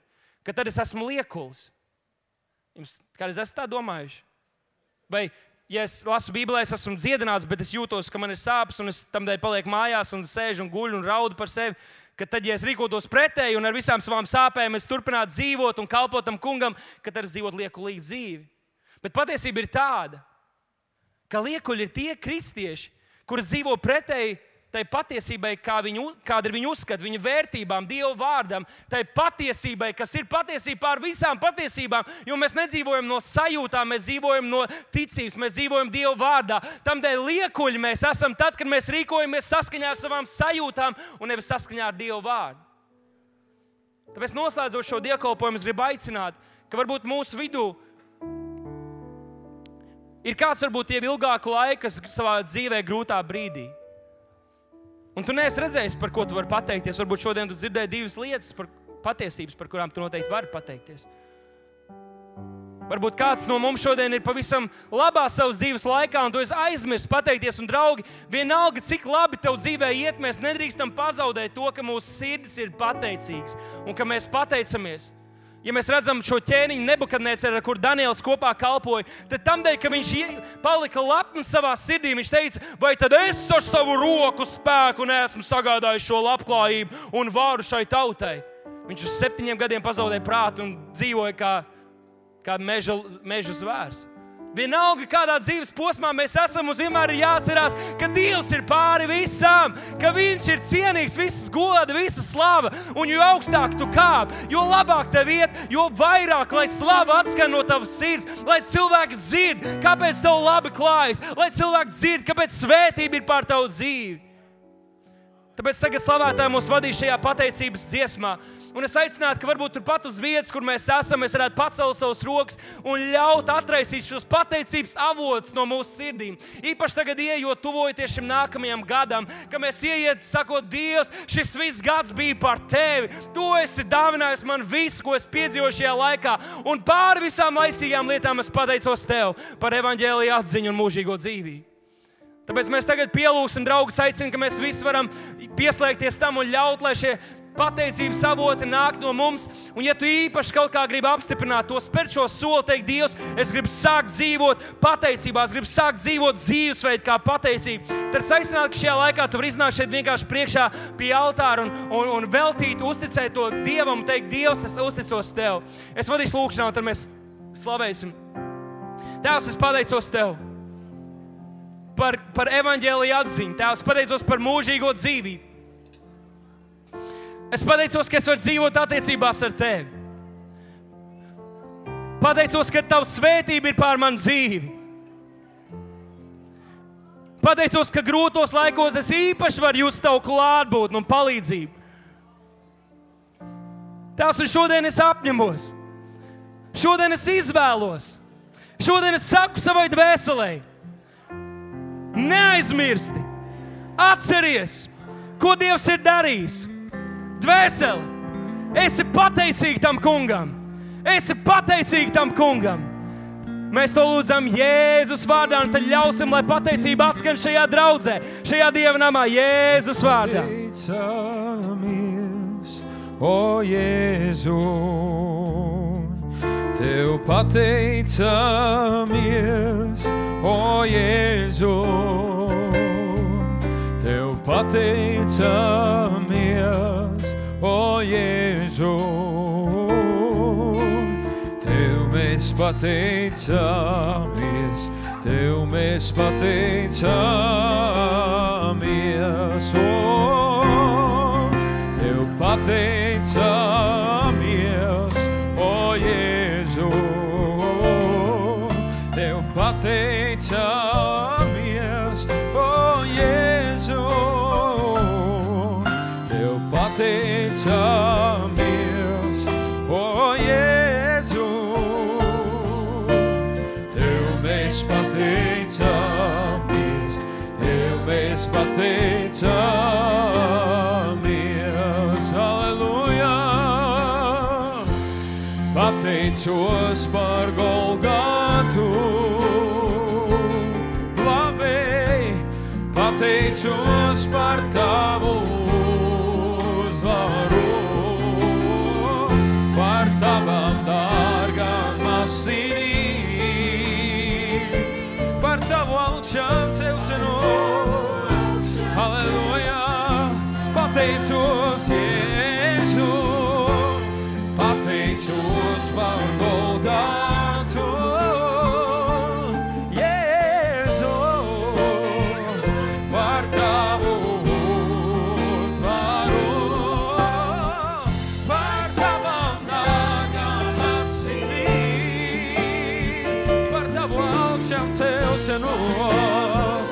ka tad es esmu liekulis. Jums kādreiz esat tā domājuši? Vai, ja es lasu Bībelē, es esmu dziedināts, bet es jūtos, ka man ir sāpes, un es tamdēļ palieku mājās un sēžu un guļu un raudu par sevi, ka tad, ja es rīkotos pretēji un ar visām savām sāpēm es turpinātu dzīvot un kalpot tam kungam, ka tad es dzīvotu liekulīgu dzīvi. Bet patiesība ir tāda, ka liekuļi ir tie kristieši, kuri dzīvo pretēji tai patiesībai, kāda ir viņu uzskata, viņu vērtībām, Dieva vārdam, tai patiesībai, kas ir patiesība pār visām patiesībām, jo mēs nedzīvojam no sajūtām, mēs dzīvojam no ticības, mēs dzīvojam Dieva vārdā. Tamdēļ liekuļi mēs esam tad, kad mēs rīkojamies saskaņā ar savām sajūtām un nevis saskaņā ar Dieva vārdu. Tāpēc noslēdzot šo dievkalpojumu, es gribu aicināt, ka varbūt mūsu vidū ir kāds varbūt jau ilgāku laiku savā dzīvē grūtā brīdī. Un tu neesi redzējis, par ko tu vari pateikties. Varbūt šodien tu dzirdēji divas lietas par patiesības, par kurām tu noteikti vari pateikties. Varbūt kāds no mums šodien ir pavisam labā savas dzīves laikā, un tu esi aizmirsis pateikties. Un, draugi, vienalga, cik labi tev dzīvē iet, mēs nedrīkstam pazaudēt to, ka mūsu sirdis ir pateicīgs un ka mēs pateicamies. Ja mēs redzam šo ķēniņu Nebukadneceru, ar kur Daniels kopā kalpoja, tad tamdēļ, ka viņš palika lepns savā sirdī, viņš teica, vai tad es ar savu roku spēku neesmu sagādājis šo labklājību un varu šai tautai. Viņš uz 7 gadiem pazaudēja prātu un dzīvoja kā meža zvērs. Vienalga, kādā dzīves posmā mēs esam, mums vienmēr ir jāatcerās, ka Dievs ir pāri visam, ka Viņš ir cienīgs, visas goda, visas slava, un jo augstāk tu kāp, jo labāk tev iet, jo vairāk, lai slava atskan no tavas sirds, lai cilvēki dzird, kāpēc tev labi klājas, lai cilvēki dzird, kāpēc svētība ir pār tavu dzīvi. Tāpēc tagad slavētāji mūs vadīs šajā pateicības dziesmā. Un es aicinātu, ka varbūt turpat uz vietas, kur mēs esam, mēs varētu pacelt savus rokas un ļaut atraisīt šos pateicības avotus no mūsu sirdīm. Īpaši tagad ieejot, tuvojoties šim nākamajam gadam, ka mēs ieiet, sakot, Dievs, šis viss gads bija par Tevi. Tu esi dāvinājis man visu, ko es piedzīvoju šajā laikā. Un pāri visām laicīgām lietām es pateicos Tev par evaņģēlija atziņu un mūžīgo dzīvību. Tāpēc mēs tagad pielūgsim, draugus, aicinu, ka mēs visi varam pieslēgties tam un ļaut, lai šie pateicības avoti nāk no mums. Un ja tu īpaši kaut kā gribi apstiprināt to, spērt šo soli, teikt, Dievs, es gribu sākt dzīvot pateicībā, es gribu sākt dzīvot dzīvesveidu kā pateicību, tad es aicinātu, ka šajā laikā tu vari iznākt šeit vienkārši priekšā pie altāra un veltīt, uzticēt to Dievam, teikt, Dievs, es uzticos Tev. Es vadīšu lūkšanā, un tad mēs slavēsim. Tēvs, es pateicos Tev par evaņģēlija atziņu. Tēvs, pateicos par mūžīgo dzīvību. Es pateicos, ka es varu dzīvot attiecībās ar Tevi. Pateicos, ka Tava svētība ir pār manu dzīvi. Pateicos, ka grūtos laikos es īpaši varu just Tavu klātbūtni un palīdzību. Tēvs, un šodien es apņemos. Šodien es izvēlos. Šodien es saku savai dvēselei. Neaizmirsti, atceries, ko Dievs ir darījis. Dvēseli, esi pateicīgi tam kungam. Esi pateicīgi tam kungam. Mēs to lūdzam Jēzus vārdā, un tad ļausim, lai pateicība atskan šajā draudzē, šajā dievnamā, Jēzus vārdā.
Pateicamies, o Jēzu, Tev pateicamies, o Jēzu, Tev pateicamies, o Jēzu, Tev mēs pateicamies, Tev mēs pateicamies, o, Tev pateicamies, o Jēzu, Tev pateicamies, o Jēzu, Tev pateicamies, o Jēzu, Tev mēs pateicamies, Tev mēs pateicamies, pateicos par Golgatu. Labi, pateicos par tavu uzvaru, par tavam dārgām asinīm, par tavu augšām celšanos. Halleluja, pateicos Jēzu, pateicos par Golgatu. Jēzu, par tavu uzvaru, par tavam dārgām asinīm, par tavu augšām celšanos.